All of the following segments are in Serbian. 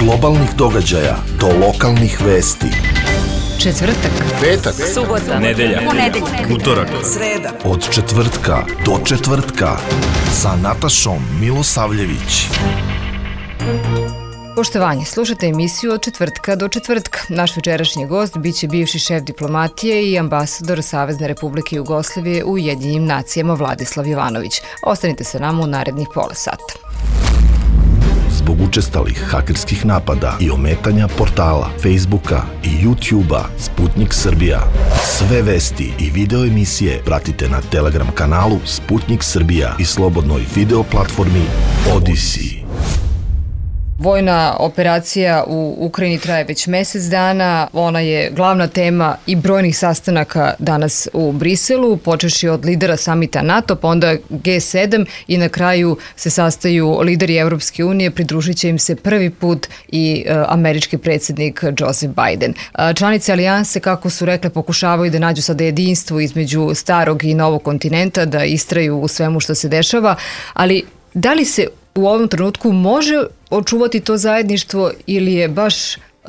globalnih događaja do lokalnih vesti. Četvrtak, petak, subota, nedelja, utorak, sreda. Od četvrtka do četvrtka sa Natašom Milosavljević. Poštovanje, slušate emisiju Od četvrtka do četvrtka. Naš večerašnji gost biće bivši šef diplomatije i ambasador Savezne Republike Jugoslavije u Ujedinjenim nacijama Vladislav Jovanović. Ostanite sa nama u narednih pola sata. Zbog učestalih hakerskih napada i ometanja portala, Facebooka i YouTubea Sputnik Srbija. Sve vesti i video emisije pratite na Telegram kanalu Sputnik Srbija i slobodnoj video platformi Odyssey. Vojna operacija u Ukrajini traje već mesec dana. Ona je glavna tema i brojnih sastanaka danas u Briselu, počeši od lidera samita NATO, pa onda G7 i na kraju se sastaju lideri Evropske unije, pridružit će im se prvi put i američki predsjednik Joseph Biden. Članice alijanse, kako su rekle, pokušavaju da nađu sada jedinstvo između starog i novog kontinenta, da istraju u svemu što se dešava, ali da li se u ovom trenutku može očuvati to zajedništvo ili je baš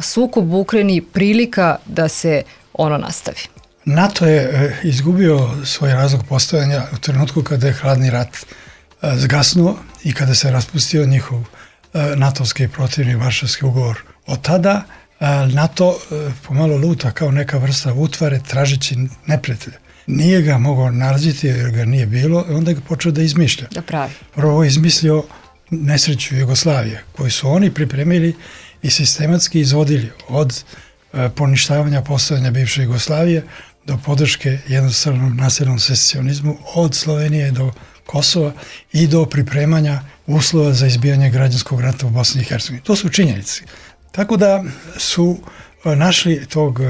sukob u Ukrajini prilika da se ono nastavi? NATO je izgubio svoj razlog postojanja u trenutku kada je hladni rat zgasnuo i kada se raspustio njihov natovski protivni Varšavski ugovor. Od tada NATO pomalo luta kao neka vrsta utvare tražeći neprijatelja. Nije ga mogao nalaziti jer ga nije bilo, onda ga počeo da izmišlja. Da pravi. Prvo je izmislio nesreću Jugoslavije, koju su oni pripremili i sistematski izvodili od poništavanja postojanja bivše Jugoslavije do podrške jednostavnom nasilnom secesionizmu od Slovenije do Kosova i do pripremanja uslova za izbijanje građanskog rata u Bosni i Hercegovini. To su činjenice. Tako da su našli tog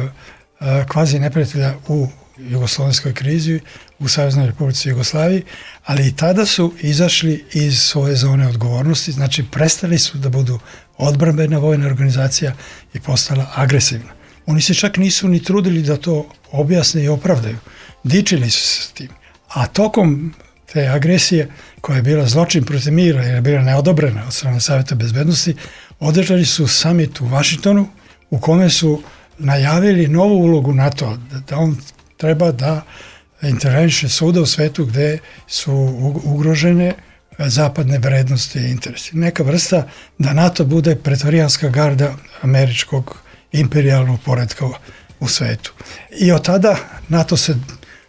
kvazi neprijatelja u jugoslovenskoj krizi, u Saveznoj Republici Jugoslaviji, ali i tada su izašli iz svoje zone odgovornosti, znači prestali su da budu odbrambena vojna organizacija i postala agresivna. Oni se čak nisu ni trudili da to objasne i opravdaju. Dičili su se s tim. A tokom te agresije, koja je bila zločin protiv mira jer je bila neodobrena od strane Saveta bezbednosti, održali su summit u Vašingtonu u kome su najavili novu ulogu NATO, da on treba da interveniše svuda u svetu gde su ugrožene zapadne vrednosti i interesi. Neka vrsta da NATO bude pretorijanska garda američkog imperijalnog poretka u svetu. I od tada NATO se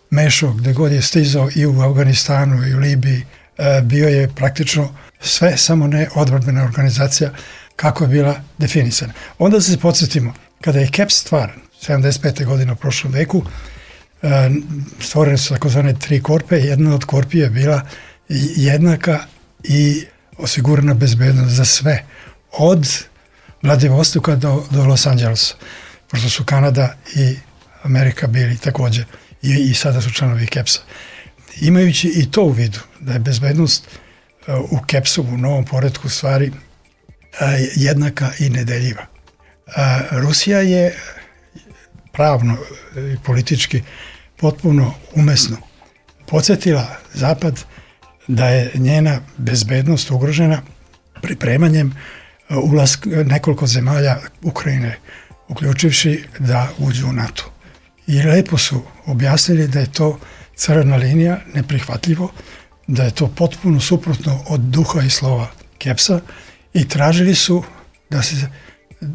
mešao gde god je stizao i u Afganistanu i u Libiji. Bio je praktično sve, samo ne odbrambena organizacija kako je bila definisana. Onda se podsjetimo, kada je KEPS stvaran, 75. godine u prošlom veku, stvorene su takozvane 3 korpe. Jedna od korpi je bila jednaka i osigurana bezbednost za sve, od Vladivostoka do Los Angelesa, pošto su Kanada i Amerika bili također i sada su članovi KEPS-a. Imajući i to u vidu, da je bezbednost u KEPS-u, u novom poretku stvari, jednaka i nedeljiva. Rusija je pravno i politički potpuno umesno podsjetila Zapad da je njena bezbednost ugrožena pripremanjem ulaska nekoliko zemalja Ukrajine, uključivši da uđu u NATO. I lepo su objasnili da je to crvena linija, neprihvatljivo, da je to potpuno suprotno od duha i slova KEPS-a i tražili su da se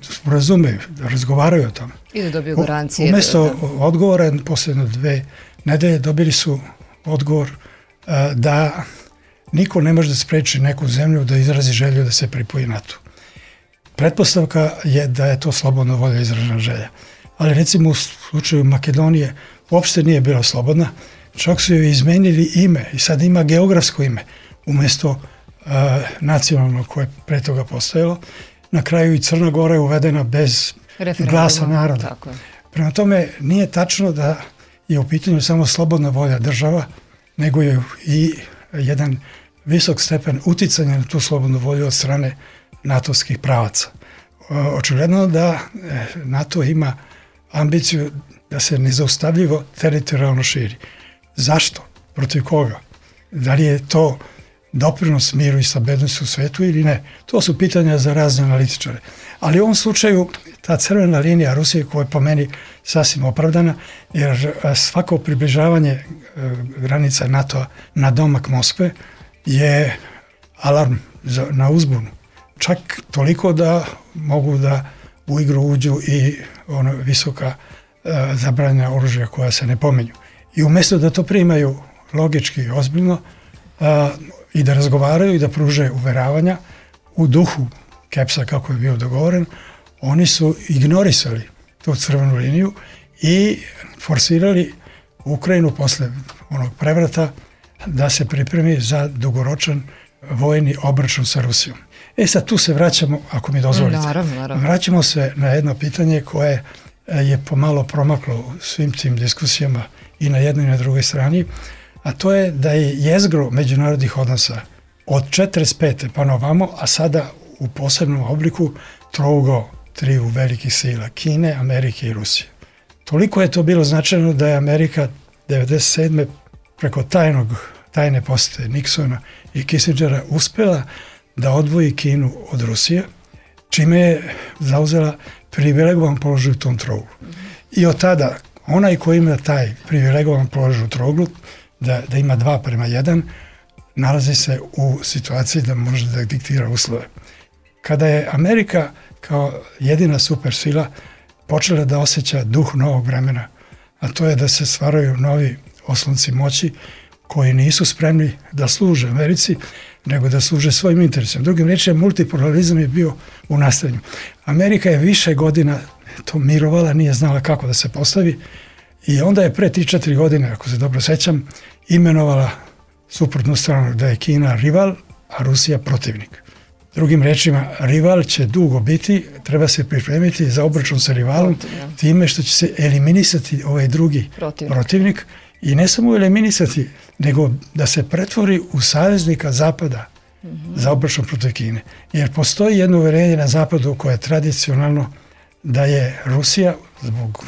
sporazumeju, da razgovaraju o tome. I da dobiju garancije. Umesto odgovora, posljedno 2 nedelje, dobili su odgovor da niko ne može da spreči neku zemlju da izrazi želju da se pripoji NATO. Pretpostavka je da je to slobodna volja izražena želja. Ali recimo u slučaju Makedonije uopšte nije bila slobodna, čak su joj izmenili ime i sad ima geografsko ime umesto nacionalnog koje je pre toga postojalo. Na kraju i Crna Gora je uvedena bez glasa naroda. Tako je. Prema tome nije tačno da je u pitanju samo slobodna volja država, nego je i jedan visok stepen uticanja na tu slobodnu volju od strane natovskih pravaca. Očigledno da NATO ima ambiciju da se nezaustavljivo teritorijalno širi. Zašto? Protiv koga? Da li je to doprinos miru i stabilnosti u svetu ili ne. To su pitanja za razne analitičare. Ali u ovom slučaju ta crvena linija Rusije, koja je po meni sasvim opravdana, jer svako približavanje granica NATO-a na domak Moskve je alarm na uzbunu. Čak toliko da mogu da u igru uđu i visoka zabranjena oružja koja se ne pominju. I umjesto da to primaju logički i ozbiljno i da razgovaraju i da pruže uveravanja u duhu Kepsa kako je bio dogovoren, oni su ignorisali tu crvenu liniju i forsirali Ukrajinu posle onog prevrata da se pripremi za dugoročan vojni obračun sa Rusijom. Sad tu se vraćamo, ako mi dozvolite. Naravno. Vraćamo se na jedno pitanje koje je pomalo promaklo u svim tim diskusijama i na jednoj i na drugoj strani, a to je da je jezgro međunarodnih odnosa od 45. pa na ovamo, a sada u posebnom obliku trougao triju velikih sila, Kine, Amerike i Rusije. Toliko je to bilo značajno da je Amerika 1997. preko tajne posete Nixona i Kissingera uspela da odvoji Kinu od Rusije, čime je zauzela privilegovan položaj u tom trouglu. I od tada, onaj koji ima taj privilegovan položaj u trouglu, da ima 2:1, nalazi se u situaciji da može da diktira uslove. Kada je Amerika kao jedina supersila počela da osjeća duh novog vremena, a to je da se stvaraju novi oslonci moći koji nisu spremni da služe Americi, nego da služe svojim interesima. Drugim rečima, multipolarizam je bio u nastajanju. Amerika je više godina to mirovala, nije znala kako da se postavi i onda je pre 3-4 godine, ako se dobro sećam, imenovala suprotnu stranu da je Kina rival, a Rusija protivnik. Drugim rečima, rival će dugo biti, treba se pripremiti za obračun sa rivalom, time što će se eliminisati ovaj drugi protivnik i ne samo eliminisati, nego da se pretvori u saveznika Zapada za obračun protiv Kine. Jer postoji jedno uverenje na Zapadu koje je tradicionalno da je Rusija zbog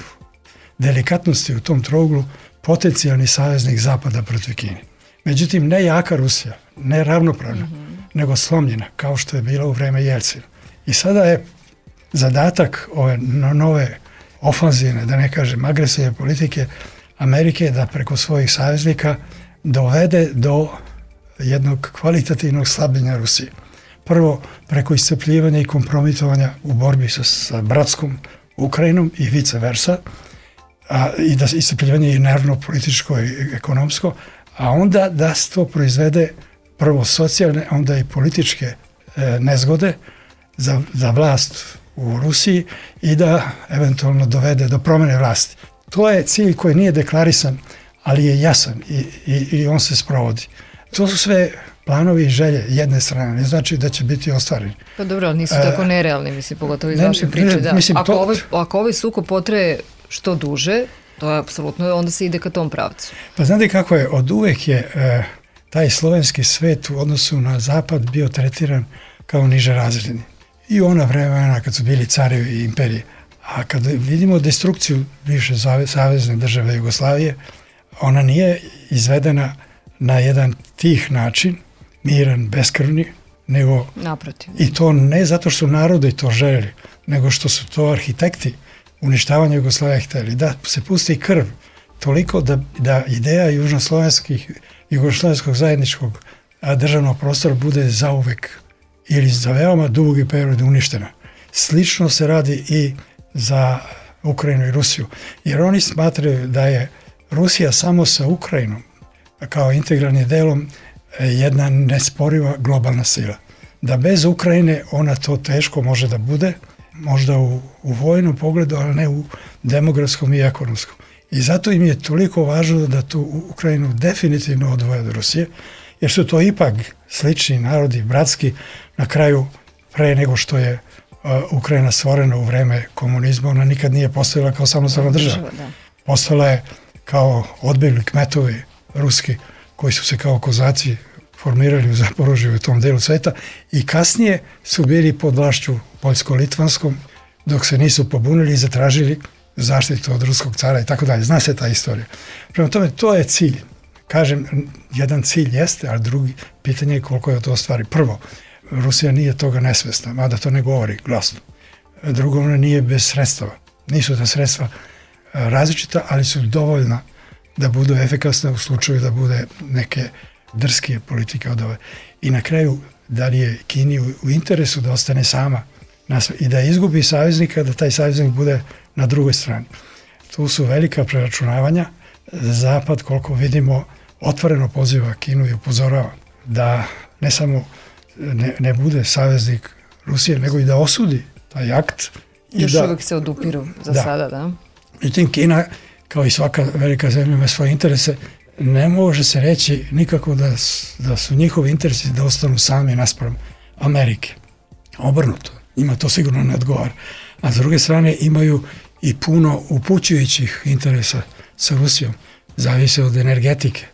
delikatnosti u tom trouglu potencijalni saveznik Zapada protiv Kine. Međutim, ne jaka Rusija, ne ravnopravna, nego slomljena, kao što je bilo u vreme Jelcina. I sada je zadatak ove nove ofanzivne, da ne kažem agresivne politike Amerike da preko svojih saveznika dovede do jednog kvalitativnog slabljenja Rusije. Prvo, preko iscrpljivanja i kompromitovanja u borbi sa bratskom Ukrajinom i vice versa, i da iscrpljivanje i nervno, političko i ekonomsko, a onda da se to proizvede prvo socijalne, onda i političke nezgode za vlast u Rusiji i da eventualno dovede do promjene vlasti. To je cilj koji nije deklarisan, ali je jasan i on se sprovodi. To su sve planovi i želje jedne strane, ne znači da će biti ostvareni. Pa dobro, ali nisu tako nerealni, mislim, pogotovo iz vaše priče. Da. Ako ovaj sukob potraje što duže, to je apsolutno, onda se ide ka tom pravcu. Pa znate kako je, od uvek je taj slovenski svet u odnosu na zapad bio tretiran kao niže razredni. I u ona vremena kad su bili carevi i imperije. A kad vidimo destrukciju bivše savezne države Jugoslavije, ona nije izvedena na jedan tih način, miran, beskrvni, nego naprotiv. I to ne zato što narodi to želeli, nego što su to arhitekti uništavanja Jugoslavije hteli, da se pusti krv toliko da ideja južnoslovenskog zajedničkog državnog prostora bude zauvek ili za veoma dugi period uništena. Slično se radi i za Ukrajinu i Rusiju, jer oni smatraju da je Rusija samo sa Ukrajinom kao integralnim delom jedna nesporiva globalna sila. Da bez Ukrajine ona to teško može da bude, možda u vojnom pogledu, ali ne u demografskom i ekonomskom. I zato im je toliko važno da tu Ukrajinu definitivno odvoje od Rusije, jer su to ipak slični narodi, bratski, na kraju pre nego što je Ukrajina stvorena u vreme komunizma, ona nikad nije postojala kao samostalna država. Postojala je kao odbegli kmetovi ruski koji su se kao kozaci formirali u Zaporožju u tom delu sveta i kasnije su bili pod vlašću poljsko-litvanskom dok se nisu pobunili i zatražili zaštitu od ruskog cara i tako dalje. Zna se ta istorija. Prema tome, to je cilj kažem, jedan cilj jeste, a drugi pitanje je koliko je to stvari. Prvo, Rusija nije toga nesvesna, mada to ne govori glasno. Drugo, ona nije bez sredstava. Nisu ta sredstva različita, ali su dovoljna da budu efikasne u slučaju da bude neke drskije politike od ove. I na kraju, da li je Kini u interesu da ostane sama i da izgubi saveznika, da taj saveznik bude na drugoj strani. Tu su velika preračunavanja. Zapad, koliko vidimo, otvoreno poziva Kinu i upozorava da ne samo ne bude saveznik Rusije, nego i da osudi taj akt. Još uvijek se odupiru za sada, da? Međutim, Kina, kao i svaka velika zemlja, ima svoje interese. Ne može se reći nikako da su njihovi interesi da ostanu sami naspram Amerike. Obrnuto. Ima to sigurno ne odgovara. A s druge strane imaju i puno upućujućih interesa sa Rusijom. Zavise od energetike,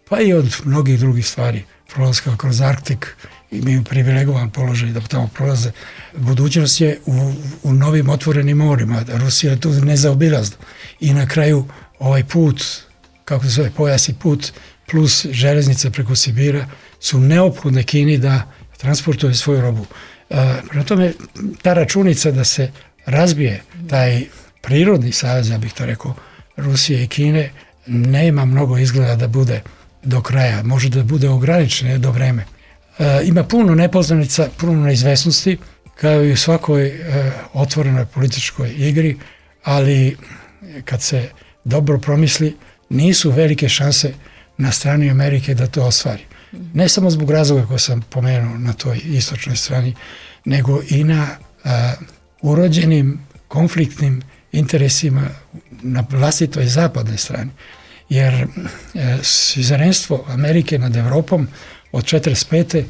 pa i od mnogih drugih stvari. Prolaska kroz Arktik, imaju privilegovan položaj da tamo prolaze. Budućnost je u novim otvorenim morima. Rusija je tu nezaobilazna. I na kraju ovaj put, kako se zove, pojasni put, plus železnice preko Sibira, su neophodne Kini da transportuje svoju robu. Prema tome, ta računica da se razbije taj prirodni savez, ja bih to rekao, Rusije i Kine, nema mnogo izgleda da bude do kraja. Može da bude ograničeno do vreme. Ima puno nepoznanica, puno neizvesnosti, kao i u svakoj otvorenoj političkoj igri, ali kad se dobro promisli, nisu velike šanse na strani Amerike da to ostvari. Ne samo zbog razloga koje sam pomenuo na toj istočnoj strani, nego i na urođenim konfliktnim interesima na vlastitoj zapadnoj strani. Jer suzerенstvo Amerike nad Evropom od 1945.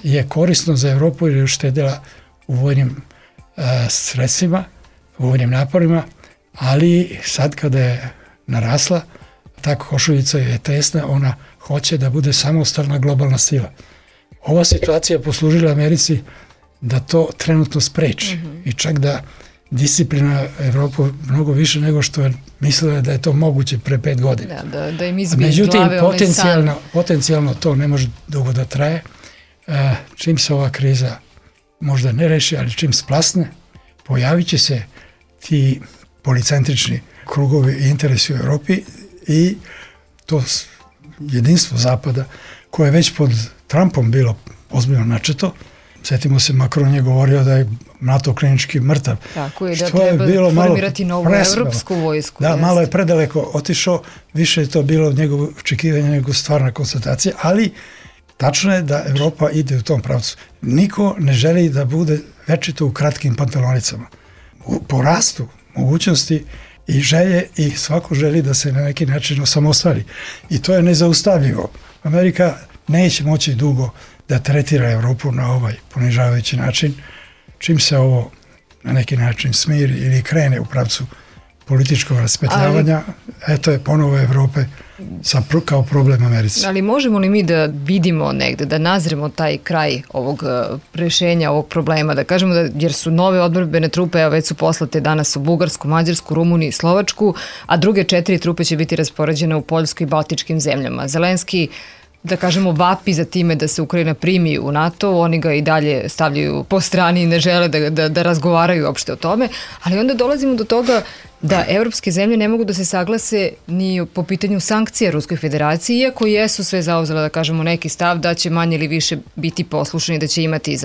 je korisno za Evropu jer je uštedila u vojnim sredstvima, u vojnim naporima, ali sad kada je narasla, ta košuljica je tesna, ona hoće da bude samostalna globalna sila. Ova situacija poslužila Americi da to trenutno spreči i čak da disciplina Evropu mnogo više nego što je mislila da je to moguće pre 5 godina. Da im izbije glave ovaj san. Potencijalno to ne može dugo da traje. Čim se ova kriza možda ne reši, ali čim splasne, pojavit će se ti policentrični krugovi i interesi u Evropi i to jedinstvo Zapada koje je već pod Trumpom bilo ozbiljno načeto. Sjetimo se, Macron je govorio da je NATO klinički mrtav. Tako je, da treba formirati novu evropsku vojsku. Da, malo je predaleko otišao, više je to bilo njegovo očekivanje nego stvarna konstatacija, ali tačno je da Evropa ide u tom pravcu. Niko ne želi da bude večito u kratkim pantalonicama. Po rastu mogućnosti i želje i svako želi da se na neki način osamostali. I to je nezaustavljivo. Amerika neće moći dugo da tretira Evropu na ovaj ponižavajući način. Čim se ovo na neki način smiri ili krene u pravcu političkog raspetljavanja, eto je ponovo Evrope kao problem Americi. Ali možemo li mi da vidimo negde, da nazremo taj kraj ovog rešenja, ovog problema, da kažemo da, jer su nove odbrambene trupe, a već su poslate danas u Bugarsku, Mađarsku, Rumuniju i Slovačku, a druge 4 trupe će biti raspoređene u Poljskoj i Baltičkim zemljama. Zelenski, da kažemo, vapi za time da se Ukrajina primi u NATO, oni ga i dalje stavljaju po strani i ne žele da razgovaraju uopšte o tome, ali onda dolazimo do toga da evropske zemlje ne mogu da se saglase ni po pitanju sankcija Ruskoj federaciji, iako jesu sve zauzele, da kažemo, neki stav da će manje ili više biti poslušani, da će imati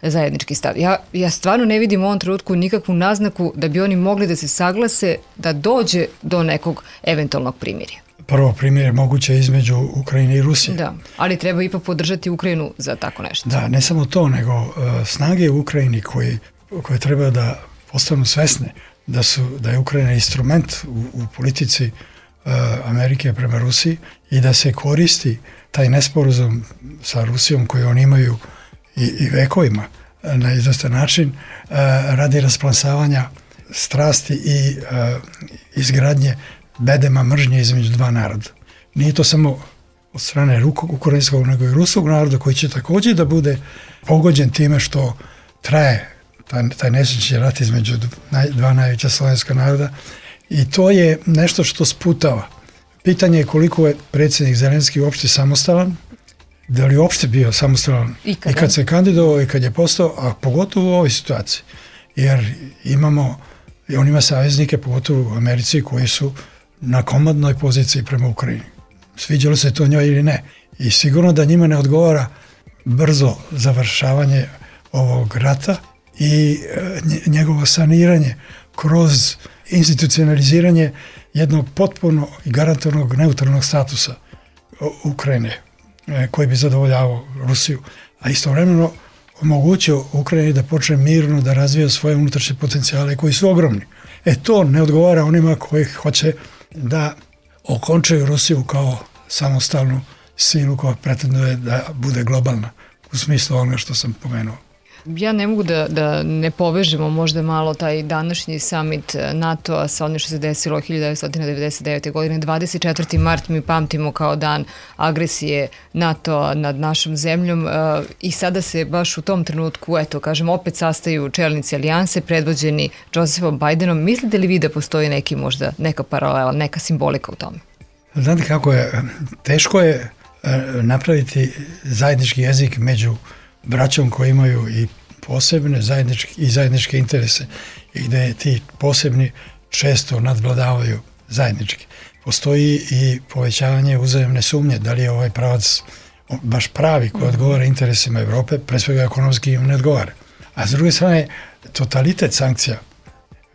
zajednički stav. Ja stvarno ne vidim u ovom trenutku nikakvu naznaku da bi oni mogli da se saglase da dođe do nekog eventualnog primirja. Prvo primjer je moguće između Ukrajine i Rusije. Da, ali treba ipak podržati Ukrajinu za tako nešto. Da, ne samo to, nego snage u Ukrajini koje treba da postanu svesne da je Ukrajina instrument u politici Amerike prema Rusiji i da se koristi taj nesporazum sa Rusijom koji oni imaju i vekovima na izvestan način radi rasplamsavanja strasti i izgradnje bedema mržnje između dva naroda. Nije to samo od strane ukrajinskog, nego i ruskog naroda koji će također da bude pogođen time što traje taj nesrećni rat između dva najveća slovenska naroda i to je nešto što sputava Pitanje je koliko je predsjednik Zelenski uopšte samostalan, da li je uopšte bio samostalan i kad se kandidovao i kad je postao, a pogotovo u ovoj situaciji. Jer on ima saveznike, pogotovo u Americi, koji su na komandnoj poziciji prema Ukrajini. Sviđalo se to njoj ili ne. I sigurno da njima ne odgovara brzo završavanje ovog rata i njegovo saniranje kroz institucionaliziranje jednog potpuno i garantovanog neutralnog statusa Ukrajine koji bi zadovoljavao Rusiju, a istovremeno omogućio Ukrajini da počne mirno da razvija svoje unutrašnje potencijale koji su ogromni. To ne odgovara onima koji hoće da okončaju Rusiju kao samostalnu silu koja pretenduje da bude globalna u smislu onoga što sam pomenuo. Ja ne mogu da ne povežemo možda malo taj današnji summit NATO-a sa onim što se desilo 1999. godine. 24. mart mi pamtimo kao dan agresije NATO-a nad našom zemljom i sada se baš u tom trenutku, opet sastaju čelnici alijanse predvođeni Josephom Bidenom. Mislite li vi da postoji neka paralela, neka simbolika u tome? Znate kako je, teško je napraviti zajednički jezik među braćom koji imaju i posebne zajedničke interese i gde ti posebni često nadvladavaju zajednički. Postoji i povećavanje uzajemne sumnje, da li je ovaj pravac baš pravi koji odgovara interesima Evrope, pre svega ekonomski im ne odgovara. A s druge strane, totalitet sankcija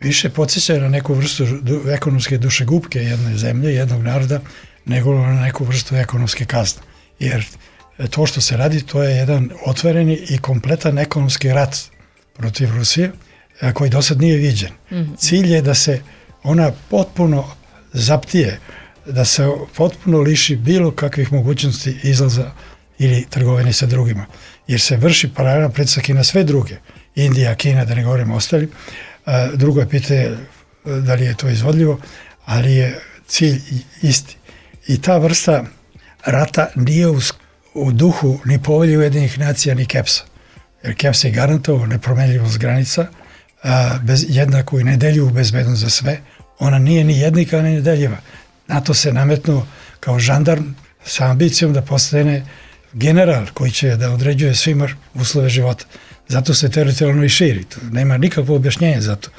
više podsjeća na neku vrstu ekonomske dušegupke jedne zemlje, jednog naroda, nego na neku vrstu ekonomske kazne. Jer to što se radi, to je jedan otvoreni i kompletan ekonomski rat protiv Rusije, koji do sad nije viđen. Cilj je da se ona potpuno zaptije, da se potpuno liši bilo kakvih mogućnosti izlaza ili trgovine sa drugima. Jer se vrši paralelan pritisak i na sve druge. Indija, Kina, da ne govorimo ostali. Drugo je pitanje da li je to izvodljivo, ali je cilj isti. I ta vrsta rata nije u duhu ni Povelje Ujedinjenih nacija ni Kepsa. Jer Keps je garantovao nepromenljivost granica, jednaku i nedeljivu bezbednost za sve. Ona nije ni jednika ni nedeljiva. NATO se nametnuo kao žandarm sa ambicijom da postane general koji će da određuje svima uslove života. Zato se teritorijalno i širi. Nema nikakvo objašnjenje za to.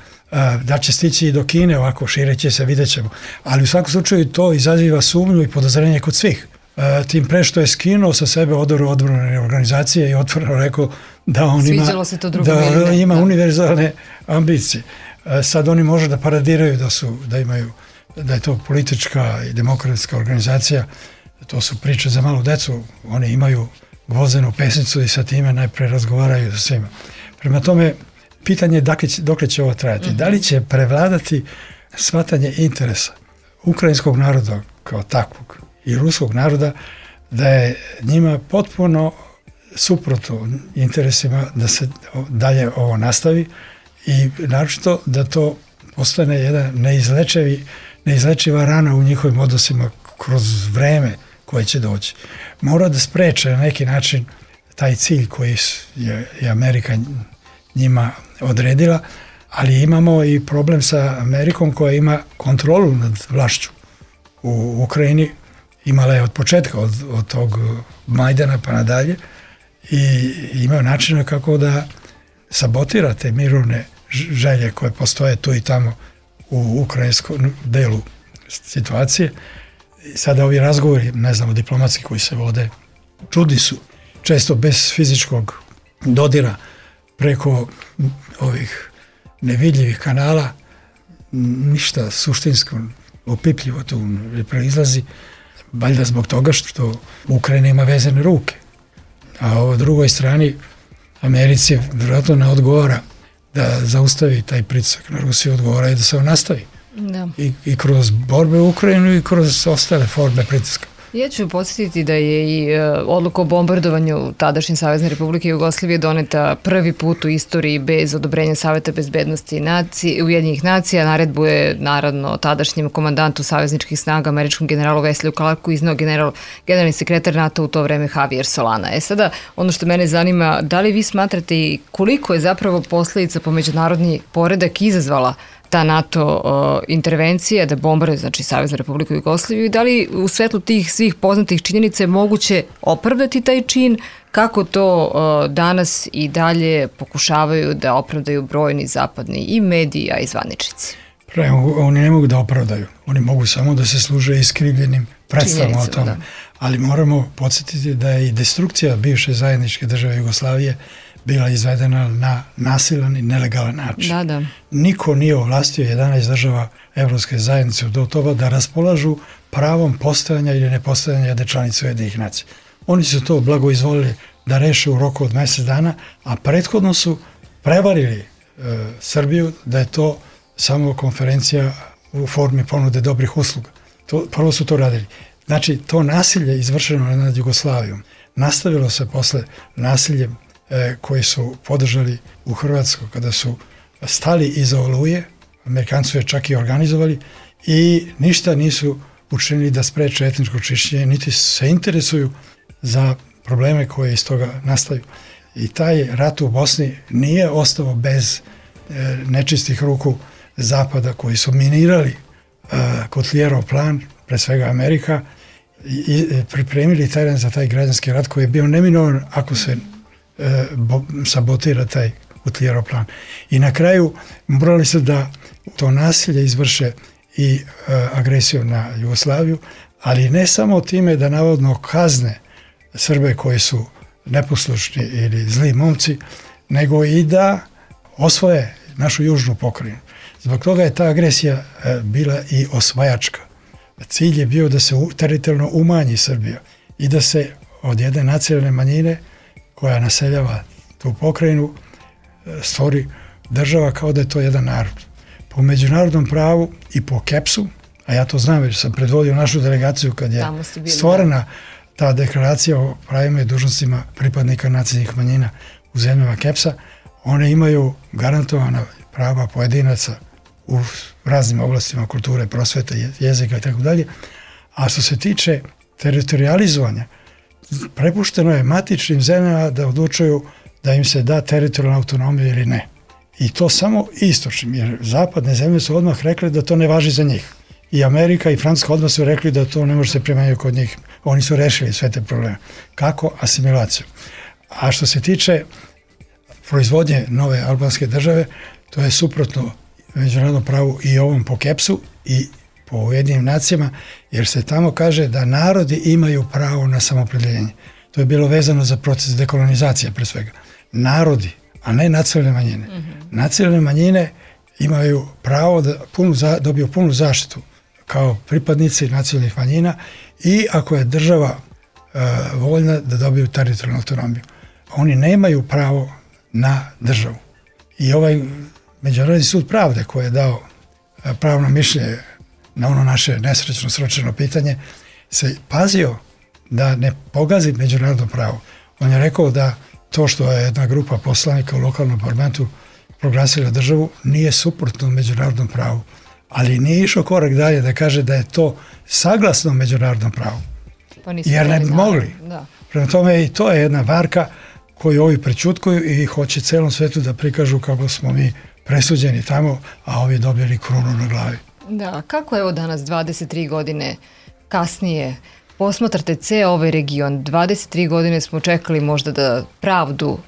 Da će stići i do Kine, ovako šireće se, vidjet ćemo. Ali u svakom slučaju to izaziva sumnju i podozrenje kod svih. Tim pre što je skinuo sa sebe odoru odbrane organizacije i otvoreno rekao da on ima univerzalne ambicije. Sad oni može da paradiraju da je to politička i demokratska organizacija, to su priče za malu decu, oni imaju gvozdenu pesnicu i sa time najpre razgovaraju sa svima. Prema tome, pitanje je dokle će ovo trajati. Da li će prevladati shvatanje interesa ukrajinskog naroda kao takvog i ruskog naroda, da je njima potpuno suprotno interesima da se dalje ovo nastavi i naročito da to postane jedan neizlečiva rana u njihovim odnosima kroz vreme koje će doći. Mora da spreče na neki način taj cilj koji je Amerika njima odredila, ali imamo i problem sa Amerikom koja ima kontrolu nad vlašću u Ukrajini. Imala je od početka, od tog Majdana pa nadalje i imaju načina kako da sabotira te mirovne želje koje postoje tu i tamo u ukrajinskom delu situacije. Sada ovi razgovori, ne znamo, diplomatski koji se vode, čudni su, često bez fizičkog dodira preko ovih nevidljivih kanala, ništa suštinsko, opipljivo tu ne proizlazi, valjda zbog toga što Ukrajina ima vezane ruke. A o drugoj strani Americi vjerojatno ne odgovara da zaustavi taj pritisak na Rusiju, odgovara i da se on nastavi. Da. I kroz borbe u Ukrajinu i kroz ostale forme pritiska. Ja ću podsjetiti da je i odluka o bombardovanju tadašnje Savezne Republike Jugoslavije doneta prvi put u istoriji bez odobrenja Saveta bezbednosti Ujedinjenih nacija. Naredbu je naravno tadašnjem komandantu savezničkih snaga, američkom generalu Wesley Clarku, izneo generalni sekretar NATO u to vreme Javier Solana. Sada, ono što mene zanima, da li vi smatrate i koliko je zapravo posledica po međunarodni poredak izazvala ta NATO intervencija da bombarduje, znači Saveznu Republiku Jugoslaviju, i da li u svetlu tih svih poznatih činjenica je moguće opravdati taj čin, kako to danas i dalje pokušavaju da opravdaju brojni zapadni i mediji, a i zvaničnici? Oni ne mogu da opravdaju, oni mogu samo da se služe iskrivljenim predstavama o tome. Da. Ali moramo podsjetiti da je i destrukcija bivše zajedničke države Jugoslavije bila izvedena na nasilan i nelegalan način. Da. Niko nije ovlastio 11 država Evropske zajednice do toga da raspolažu pravom postojanja ili nepostojanja jedne članice Ujedinjenih nacija. Oni su to blagoizvolili da reše u roku od mjesec dana, a prethodno su prevarili Srbiju da je to samo konferencija u formi ponude dobrih usluga. Prvo su to radili. Znači, to nasilje izvršeno nad Jugoslavijom nastavilo se posle nasiljem koji su podržali u Hrvatskoj kada su stali iza Oluje, Amerikanci su je čak i organizovali i ništa nisu učinili da spreče etničko čišćenje, niti se interesuju za probleme koje iz toga nastaju. I taj rat u Bosni nije ostao bez nečistih ruku Zapada koji su minirali Kutljerov plan, pre svega Amerika, i pripremili teren za taj građanski rat koji je bio neminovan ako se sabotira taj Kutljerov plan. I na kraju morali su da to nasilje izvrše i agresiju na Jugoslaviju, ali ne samo time da navodno kazne Srbe koji su neposlušni ili zli momci, nego i da osvoje našu južnu pokrajinu. Zbog toga je ta agresija bila i osvajačka. Cilj je bio da se teritorijalno umanji Srbija i da se od jedne nacionalne manjine koja naseljava tu pokrajinu stvori država kao da je to jedan narod. Po međunarodnom pravu i po KEPS-u, a ja to znam jer sam predvodio našu delegaciju kad je stvorena ta deklaracija o pravima i dužnostima pripadnika nacionalnih manjina u zemljama KEPS-a, one imaju garantovana prava pojedinaca u raznim oblastima kulture, prosvete, jezika i tako dalje. A što se tiče teritorializovanja, prepušteno je matičnim zemljama da odlučuju da im se da teritorijalna autonomija ili ne. I to samo istočnim, jer zapadne zemlje su odmah rekli da to ne važi za njih. I Amerika i Francuska odmah su rekli da to ne može se primenjati kod njih. Oni su rešili sve te probleme. Kako? Asimilaciju. A što se tiče proizvodnje nove albanske države, to je suprotno međunarodnom pravu i ovom po KEPS-u i po Ujedinjenim nacijama, jer se tamo kaže da narodi imaju pravo na samoopredeljenje. To je bilo vezano za proces dekolonizacije pre svega. Narodi, a ne nacionalne manjine. Nacionalne manjine imaju pravo da dobiju punu zaštitu kao pripadnici nacionalnih manjina i ako je država voljna da dobiju teritorijalnu autonomiju. Oni nemaju pravo na državu. I ovaj Međunarodni sud pravde koji je dao pravno mišljenje na ono naše nesrećno sročeno pitanje se pazio da ne pogazi međunarodno pravo. On je rekao da to što je jedna grupa poslanika u lokalnom parlamentu proglasila državu nije suprotno međunarodnom pravu, ali nije išao korak dalje da kaže da je to saglasno međunarodnom pravu. Jer ne bi mogli. Da. Prema tome i to je jedna varka koju ovi prećutkuju i hoće celom svetu da prikažu kako smo mi presuđeni tamo, a ovi dobili krunu na glavi. Da, kako evo danas 23 godine kasnije posmatrate ceo ovaj region? 23 godine smo čekali možda da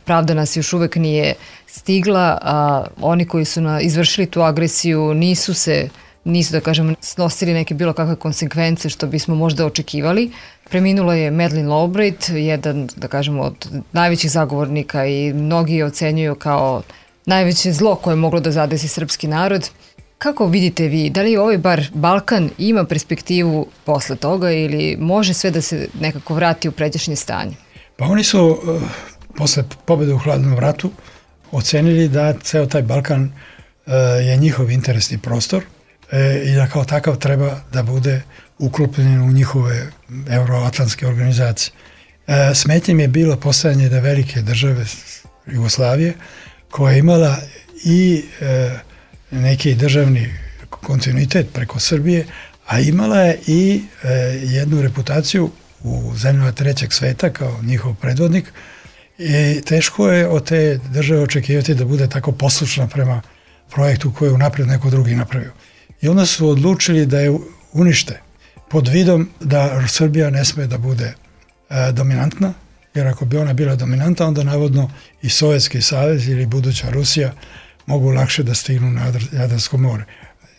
pravda nas još uvek nije stigla, a oni koji su izvršili tu agresiju nisu da kažem snosili neke bilo kakve konsekvence što bismo možda očekivali. Preminula je Madeleine Albright, jedan da kažemo od najvećih zagovornika i mnogi je ocenjuju kao najveće zlo koje je moglo da zadesi srpski narod. Kako vidite vi, da li ovaj bar Balkan ima perspektivu posle toga ili može sve da se nekako vrati u pređašnje stanje? Pa oni su posle pobjede u hladnom ratu ocenili da ceo taj Balkan je njihov interesni prostor i da kao takav treba da bude uklopljen u njihove euroatlantske organizacije. Smetnjem je bilo postojanje da velike države Jugoslavije koja je imala i neki državni kontinuitet preko Srbije, a imala je i jednu reputaciju u zemljama trećeg sveta kao njihov predvodnik i teško je od te države očekivati da bude tako poslušna prema projektu koji je unapred neko drugi napravio. I onda su odlučili da je unište pod vidom da Srbija ne sme da bude dominantna, jer ako bi ona bila dominantna, onda navodno i Sovjetski savez ili buduća Rusija mogu lakše da stignu na Jadransko more.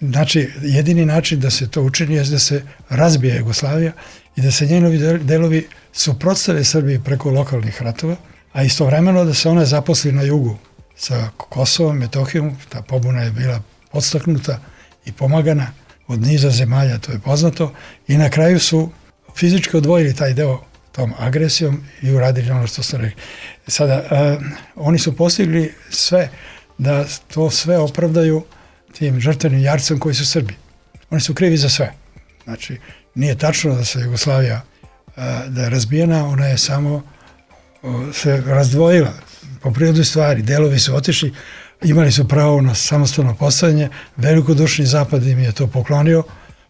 Znači, jedini način da se to učini je da se razbije Jugoslavija i da se njenovi delovi suprotstave Srbiji preko lokalnih ratova, a istovremeno da se ona zaposli na jugu sa Kosovom, Metohijom. Ta pobuna je bila podstaknuta i pomagana od niza zemalja, to je poznato, i na kraju su fizički odvojili taj deo tom agresijom i uradili ono što ste rekli. Sada, oni su postigli sve da to sve opravdaju tim žrtvenim jarcem koji su Srbi. Oni su krivi za sve. Znači, nije tačno da se Jugoslavija da je razbijena, ona je samo se razdvojila po prirodi stvari. Delovi su otišli, imali su pravo na samostalno postavljanje, velikodušni zapad im je to poklonio,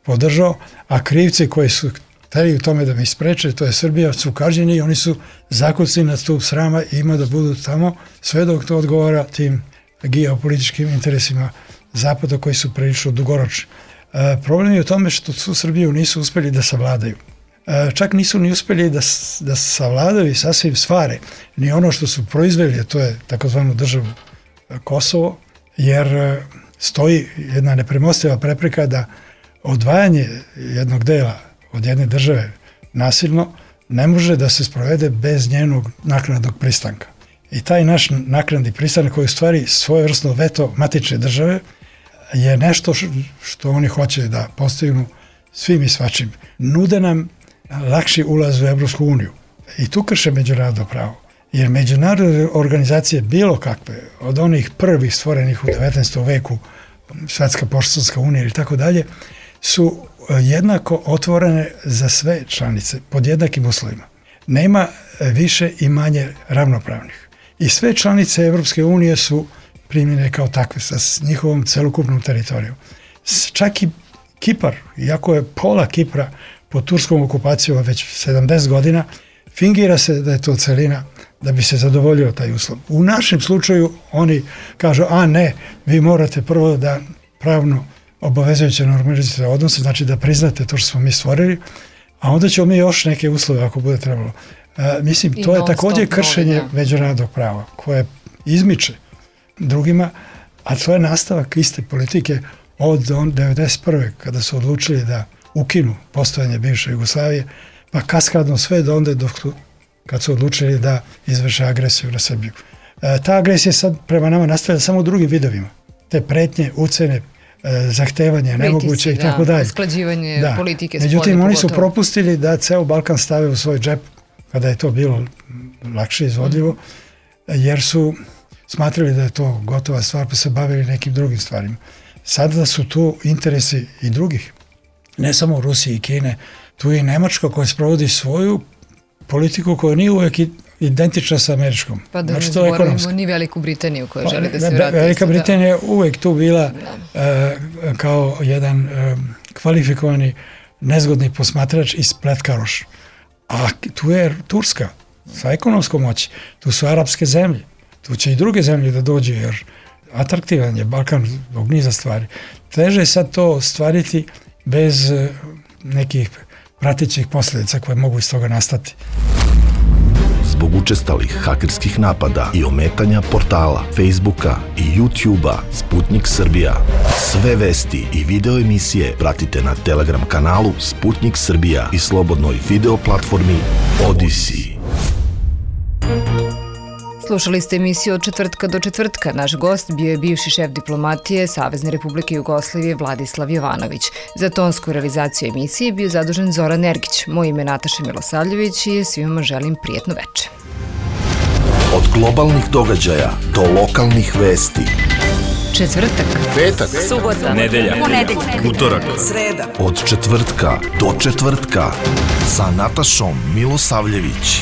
podržao, a krivci koji su hteli u tome da mi spreče, to je Srbija, su kažnjeni i oni su zakucani na stup srama i ima da budu tamo sve dok to odgovara tim geopolitičkim interesima Zapada koji su prilično dugoročni. Problem je u tome što su Srbiju nisu uspeli da savladaju. Čak nisu ni uspeli da savladaju i sasvim stvari ni ono što su proizveli, a to je takozvanu državu Kosovo, jer stoji jedna nepremostiva prepreka da odvajanje jednog dela od jedne države nasilno ne može da se sprovede bez njenog naknadnog pristanka. I taj naš naknadni pristanak koji je u stvari svojevrsno veto matične države je nešto što oni hoće da postignu svim i svačim. Nude nam lakši ulaz u Evropsku uniju i tu krše međunarodno pravo. Jer međunarodne organizacije bilo kakve, od onih prvih stvorenih u 19. veku, Svetska poštanska unija ili tako dalje, su jednako otvorene za sve članice pod jednakim uslovima. Nema više i manje ravnopravnih. I sve članice Evropske unije su primljene kao takve sa njihovom celokupnom teritorijom. Čak i Kipar, iako je pola Kipra pod turskom okupacijom već 70 godina, fingira se da je to celina da bi se zadovoljio taj uslov. U našem slučaju oni kažu, a ne, vi morate prvo da pravno obavezujuće normalizujete odnose, znači da priznate to što smo mi stvorili, a onda ćemo mi još neke uslove ako bude trebalo. Mislim, to je također kršenje međunarodnog prava koje izmiče drugima, a to je nastavak iste politike od 1991. kada su odlučili da ukinu postojanje bivše Jugoslavije, pa kaskadno sve do onda kad su odlučili da izvrše agresiju na Srbiju. Ta agresija sad prema nama nastavlja samo u drugim vidovima. Te pretnje, ucene, zahtevanje, nemoguće i tako dalje. Usklađivanje politike. Međutim, oni su propustili da ceo Balkan stave u svoj džep kada je to bilo lakše izvodljivo, jer su smatrali da je to gotova stvar, pa se bavili nekim drugim stvarima. Sada su tu interesi i drugih, ne samo Rusije i Kine, tu je i Nemačka koja sprovodi svoju politiku koja nije uvek identična sa američkom. Pa da ne zaboravimo ni Veliku Britaniju koja želi da se vrati. Velika Britanija je uvek tu bila kao jedan kvalifikovani nezgodni posmatrač i spletkaroš. A tu je Turska sa ekonomskom moći, tu su arapske zemlje, tu će i druge zemlje da dođu, jer atraktivan je Balkan zbog niza stvari. Teže je sad to stvariti bez nekih pratećih posljedica koje mogu iz toga nastati. Zbog učestalih hakerskih napada i ometanja portala, Facebooka i YouTubea Sputnik Srbija. Sve vesti i video emisije pratite na Telegram kanalu Sputnik Srbija i slobodnoj video platformi Odyssey. Slušali ste emisiju Od četvrtka do četvrtka. Naš gost bio je bivši šef diplomatije Savezne Republike Jugoslavije Vladislav Jovanović. Za tonsku realizaciju emisije bio zadužen Zoran Ergić. Moje ime je Nataša Milosavljević i svima želim prijetno veče. Od globalnih događaja do lokalnih vesti. Četvrtak, petak, subota, nedelja, ponedeljak, utorak, sreda. Od četvrtka do četvrtka sa Natašom Milosavljević.